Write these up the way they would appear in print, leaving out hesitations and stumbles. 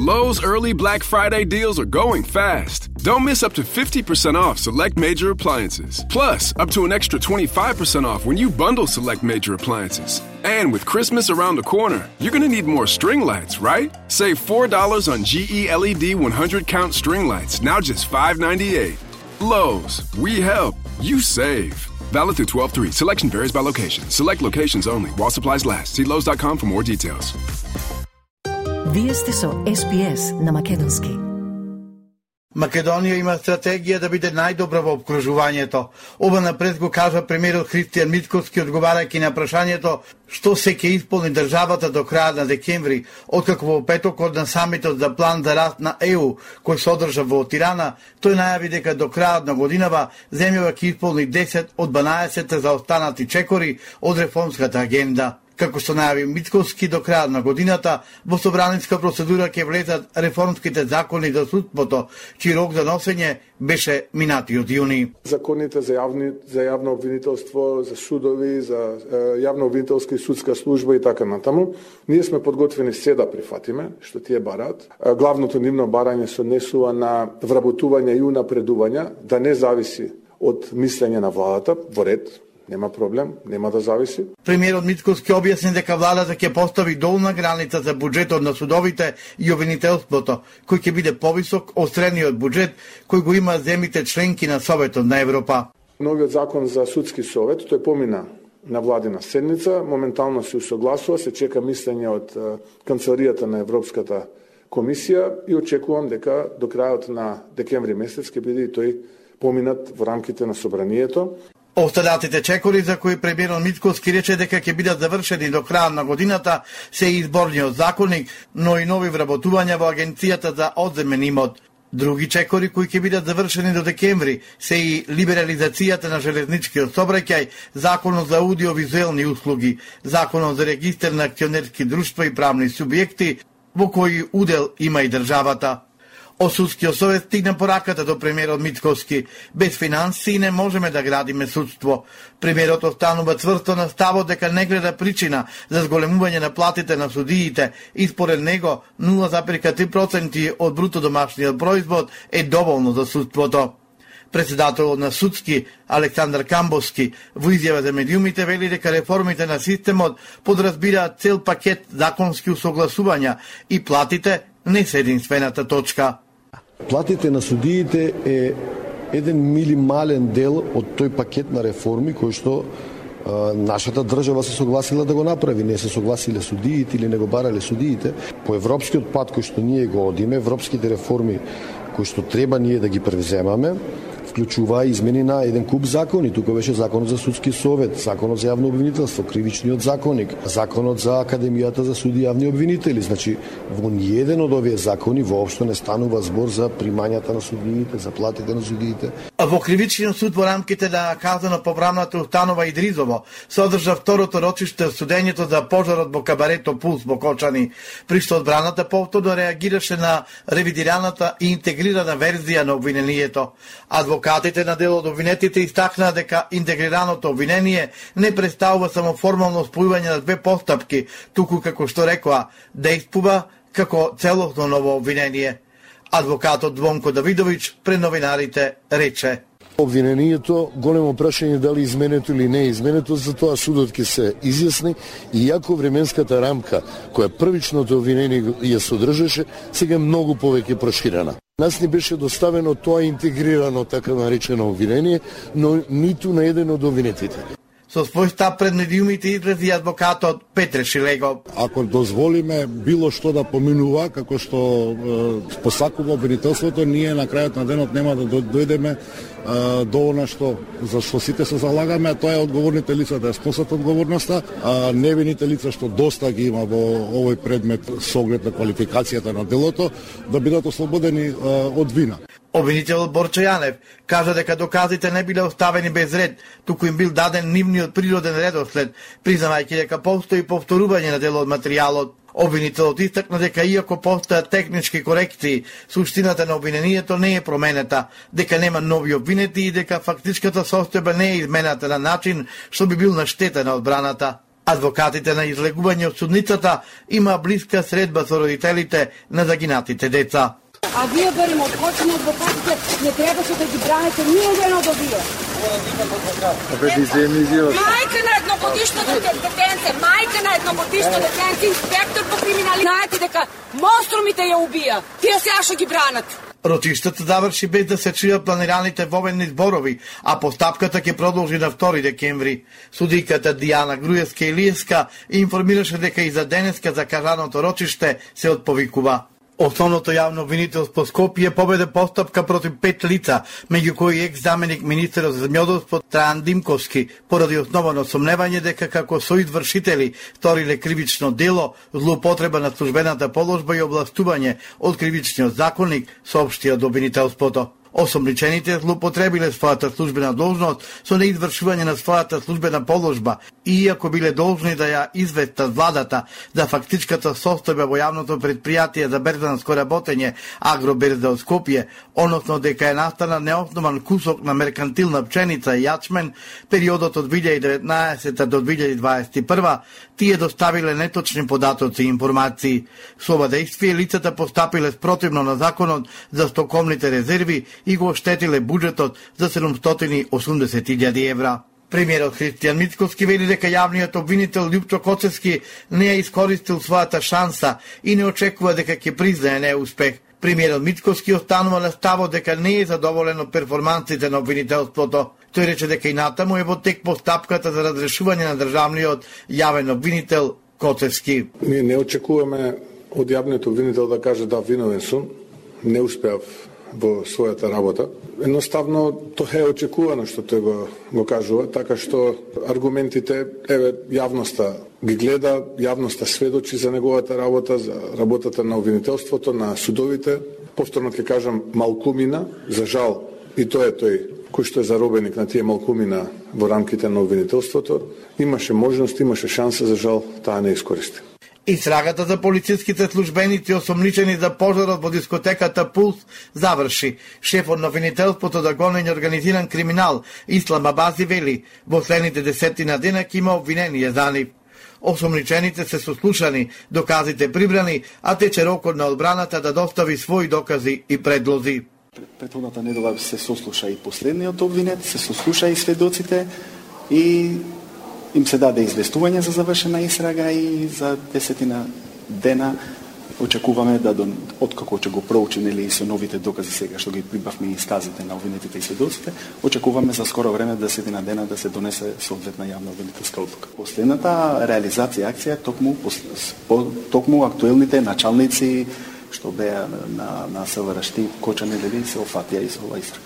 Lowe's early Black Friday deals are going fast. Don't miss up to 50% off select major appliances. Plus, up to an extra 25% off when you bundle select major appliances. And with Christmas around the corner, you're going to need more string lights, right? Save $4 on GE LED 100 count string lights, now just $5.98. Lowe's, we help, you save. Valid through 12/3. Selection varies by location. Select locations only. While supplies last. See Lowe's.com for more details. Вие сте со SPS на македонски. Македонија има стратегија да биде најдобра во обкружувањето. Ова напред го кажа премиерот Христијан Мицкоски одговарајќи на прашањето што се ќе исполни државата до крајот на декември, откако во петокот на самитот за план за раст на ЕУ, кој се одржа во Тирана, тој најави дека до крајот на годинава земјава ќе исполни 10 од 12 заостанати чекори од реформската агенда. Како што најави Мицкоски, до крајот на годината во собраниска процедура ќе влезат реформските закони за судството, чиј рок за носење беше минатиот јуни. Законите за јавно обвинителство, за судови, за јавно обвинителска и судска служба и така натаму, ние сме подготвени се да прифатиме што тие бараат. Главното нивно барање се однесува на вработување и унапредување, да не зависи од мислење на владата, во ред. Нема проблем, нема да зависи. Премиерот Мицкоски објасни дека владата ќе постави долна граница за буџетот на судовите и обвинителството, кој ќе биде повисок од средниот буџет кој го има земјите членки на Советот на Европа. Новиот закон за судски совет, тој помина на владина седница, моментално се усогласува, се чека мислење од канцеларијата на Европската комисија и очекувам дека до крајот на декември месец ќе биде и тој поминат во рамките на собранието. Остататите чекори за кои премиерот Мицкоски рече дека ќе бидат завршени до крајот на годината се и изборниот законник, но и нови вработувања во Агенцијата за одземен имот. Други чекори кои ќе бидат завршени до декември се и либерализацијата на железничкиот сообраќај, законот за аудиовизуелни услуги, законот за регистар на акционерски друштва и правни субјекти, во кои удел има и државата. Од судскиот совет стигна пораката до премиерот Мицкоски. Без финансии не можеме да градиме судство. Премиерот останува цврсто на ставот дека не гледа причина за зголемување на платите на судиите и според него 0,3% од бруто домашниот производ е доволно за судството. Председателот на Судски, Александар Камбовски, во изјава за медиумите вели дека реформите на системот подразбираат цел пакет законски усогласувања и платите не се единствената точка. Платите на судиите е еден минимален дел од тој пакет на реформи кој што нашата држава се согласила да го направи. Не се согласиле судиите или не го барале судиите. По европскиот пат кој што ние го одиме, европските реформи кои што треба ние да ги превземаме, вклучува измени на еден куп закони. Тука беше законот за судски совет, законот за јавно обвинителство, кривичниот законник, законот за Академијата за суди и јавни обвинители. Значи, во ниеден од овие закони воопшто не станува збор за примањата на судиите, за платите на судиите. Во кривичниот суд во рамките на казано-поправната установа Идризово се одржа второто рочиште од судењето за пожарот во кабарето Пулс во Кочани, при што одбраната повторно реагираше на ревидираната и интегрирана верзија на обвинението. Адвокатите на дел од обвинетите истакнаа дека интегрираното обвинение не представува само формално спојување на две постапки, туку како што рекоа, действува како целосно ново обвинение. Адвокатот Двонко Давидовиќ пред новинарите рече: Обвинението, големо прашање дали изменето или не изменето, за тоа судот ќе се изјасни, и иако временската рамка која првичното обвинение ја содржаше, сега е многу повеќе проширена. Нас ни беше доставено тоа интегрирано така наречено обвинение, но ниту на еден од обвинетите. Со свој став пред медиумите изрази адвокатот Петре Шилего. Ако дозволиме било што да поминува, како што посакува обвинителството, ние на крајот на денот нема да дојдеме до она за што сите се залагаме, а тоа е одговорните лица да ја сносат одговорноста, а невините лица што доста ги има во овој предмет со оглед на квалификацијата на делото, да бидат ослободени од вина. Обвинителот Борчо Јанев кажа дека доказите не биле оставени без ред, туку им бил даден нивниот природен редослед, признавајќи дека постои повторување на дел од материјалот. Обвинителот истакна дека иако постојат технички корекции, суштината на обвинението не е променета, дека нема нови обвинети и дека фактичката состојба не е измената на начин што би бил на штета на одбраната. Адвокатите на излегување од судницата има блиска средба со родителите на загинатите деца. А вие барем од кочина адвокатите не требаше да ги браните ни еден од овие. Мајка на едногодишно детенце, инспектор по криминалитет. Знаете дека монструмите ја убија. Тие сега што ги бранат. Ротиштата заврши без да се чујат планираните воведни зборови, а постапката ќе продолжи на 2 декември. Судиката Дијана Груевска-Илиевска информираше дека и за денеска закажаното рочиште се отповикува. Основното јавно обвинителство Скопје поведе постапка против 5 лица, меѓу кои екс-заменик министерот за земјоделство Трајан Димковски, поради основано сомневање дека како соизвршители сториле кривично дело, злоупотреба на службената положба и областување од кривичниот законник, соопшти од обвинителството. Осомничените злоупотребиле својата службена должност со неизвршување на својата службена положба и иако биле должни да ја известат владата за фактичката состојба во јавното предпријатие за берзанско работење Агроберза од Скопје, односно дека е настана неоснован кусок на меркантилна пченица и јачмен, периодот од 2019 до 2021, тие доставиле неточни податоци и информации. Со ова дејствие лицата постапиле спротивно на законот за стоковните резерви и го оштетиле буџетот за 780.000 евра. Премиерот Христијан Мицковски вели дека јавниот обвинител Љупчо Коцевски не ја искористил својата шанса и не очекува дека ќе признае неуспех. Премиерот Мицковски останува на ставот дека не е задоволен од перформансите на обвинителството. Тој рече дека и натаму е во тек постапката за разрешување на државниот јавен обвинител Коцевски. Ние не очекуваме од јавниот обвинител да каже да виновен сум, не успеав во својата работа. Едноставно тоа е очекувано што тој го кажува, така што аргументите, јавноста ги гледа, јавноста сведочи за неговата работа, за работата на обвинителството, на судовите. Повторно ќе кажам, малкумина, за жал, и тоа е тој кој што е заробеник на тие малкумина во рамките на обвинителството, имаше можност, имаше шанса, за жал, таа не искористи. Истрагата за полициските службеници осомничени за пожарот во дискотеката Пулс заврши. Шефот на обвинителството за гонење организиран криминал Ислам Абази вели, во следните 10 дена ќе има обвинение за нив. Осомничените се сослушани, доказите прибрани, а тече рокот на одбраната да достави своји докази и предлози. Претходната недела се сослуша и последниот обвинет, се сослуша и сведоците и им се даде известување за завршена истрага и за 10 дена очекуваме да откако ќе го проучиме или со новите докази сега што ги прибавме и исказите на обвинетите и сведоците, очекуваме за скоро време 10 дена да се донесе соодветна јавна обвинителска одлука. Последната реализација акција токму актуелните началници што беа на СВР-шти Кочани дели се офатија и со ова истрага.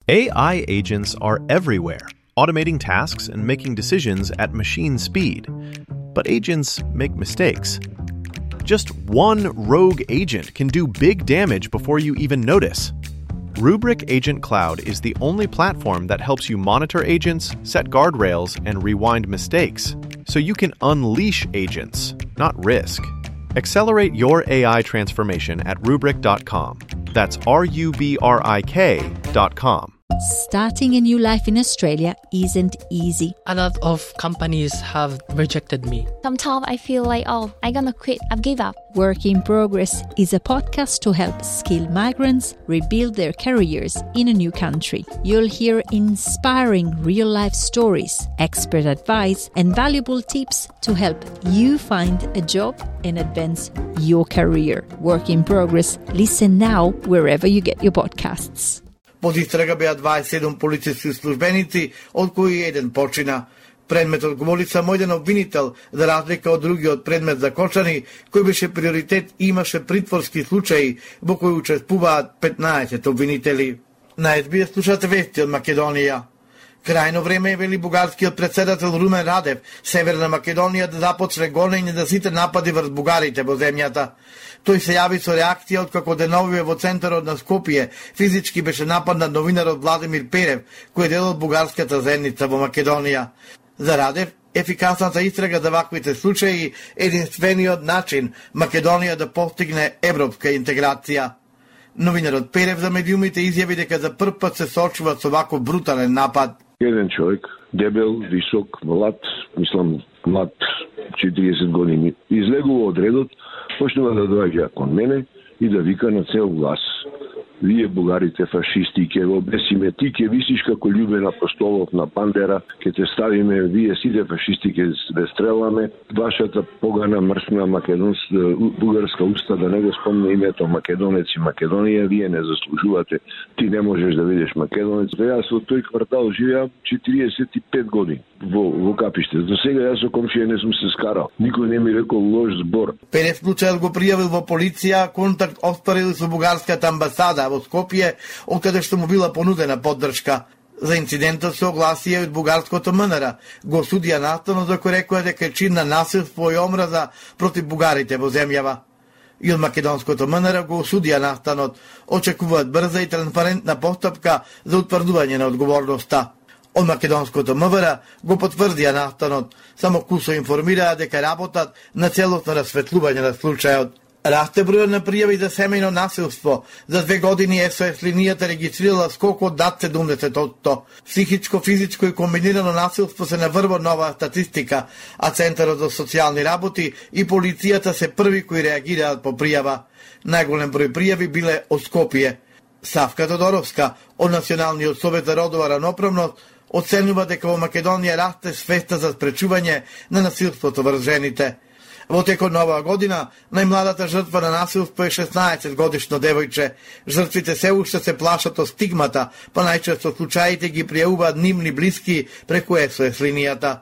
AI agents are everywhere, automating tasks and making decisions at machine speed. But agents make mistakes. Just one rogue agent can do big damage before you even notice. Rubrik Agent Cloud is the only platform that helps you monitor agents, set guardrails, and rewind mistakes, so you can unleash agents, not risk. Accelerate your AI transformation at Rubrik.com. That's RUBRIK.com. Starting a new life in Australia isn't easy. A lot of companies have rejected me. Sometimes I feel like, I'm gonna quit, I've given up. Work in Progress is a podcast to help skilled migrants rebuild their careers in a new country. You'll hear inspiring real-life stories, expert advice, and valuable tips to help you find a job and advance your career. Work in Progress. Listen now wherever you get your podcasts. Под истрага беа 27 полициски службеници, од кои еден почина. Предметот го води само еден обвинител, за разлика од другиот предмет за Кочани, кој беше приоритет и имаше притворски случаи, во кои учествуваат 15 обвинители. На СБС слушате вести од Македонија. Крајно време е, вели бугарскиот председател Румен Радев, Северна Македонија да започне гонење за сите напади врз бугарите во земјата. Тој се јави со реакција откако деновиве во центарот на Скопје физички беше нападнат новинарот Владимир Перев, кој е дел од бугарската заедница во Македонија. За Радев, ефикасната истрага за ваквите случаи е единствениот начин Македонија да постигне европска интеграција. Новинарот Перев за медиумите изјави дека за прв пат се соочува со ваков брутален напад. Еден човек, дебел, висок, млад 40 години, излегува од редот, почнува да доаѓа кон мене и да вика на цел глас: вие бугарите фашисти, ќе го обесиме, ти ќе висиш како Љубен Апостолов на Бандера, ќе те ставиме, вие сите фашисти ќе ве стреламе, вашата погана мрсна бугарска уста да не го спомне името македонец и Македонија, вие не заслужувате, ти не можеш да видиш македонец. Јас во тој квартал живеам 45 години во Капиште. За сега јас со комшија не сум се скарал. Никој не ми рекол лош збор. Пенев случајот го пријавил во полиција, контакт остварил со бугарската амбасада во Скопје, од каде што му била понудена поддршка. За инцидентот се огласи од бугарското МНР. Го судија наставно за кој рекоа дека е чин на насилство и омраза против бугарите во земјава. И од македонското МНР го осудија настанот. Очекуваат брза и транспарентна постапка за утврдување на одговорноста. Од македонското МВР го потврдија настанот, само кусо информираа дека работат на целосно расветлување на случајот. Расте бројот на пријави за семејно насилство. За 2 години СОС линијата регистрирала скок од над 70%. Психичко, физичко и комбинирано насилство се наврво нова статистика, а Центарот за социјални работи и полицијата се први кои реагираат по пријава. Најголем број пријави биле од Скопје. Савка Тодоровска од Националниот совет за родова равноправност оценува дека во Македонија расте свеста за спречување на насилството врз жените. Во текот на оваа година, најмладата жртва на насилство е 16 годишно девојче. Жртвите се уште се плашат од стигмата, па најчесто случаите ги пријавуваат нивни блиски преку СОС линијата.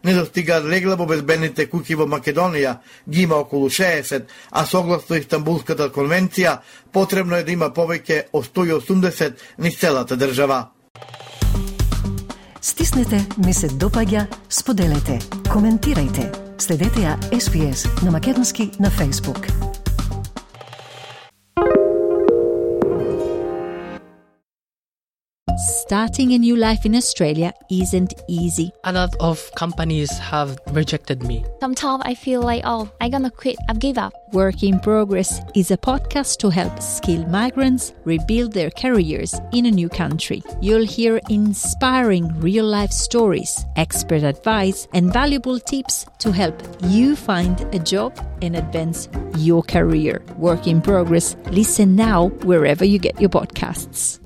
Не достигаат легла во безбедните куќи во Македонија, ги има околу 60, а согласно Истанбулската конвенција, потребно е да има повеќе од 180 низ целата држава. Стиснете, ми се допаѓа, споделете, коментирајте. Следете ја SPS на македонски на Facebook. Starting a new life in Australia isn't easy. A lot of companies have rejected me. Sometimes I feel like, I'm gonna quit, I've give up. Work in Progress is a podcast to help skilled migrants rebuild their careers in a new country. You'll hear inspiring real-life stories, expert advice, and valuable tips to help you find a job and advance your career. Work in Progress. Listen now wherever you get your podcasts.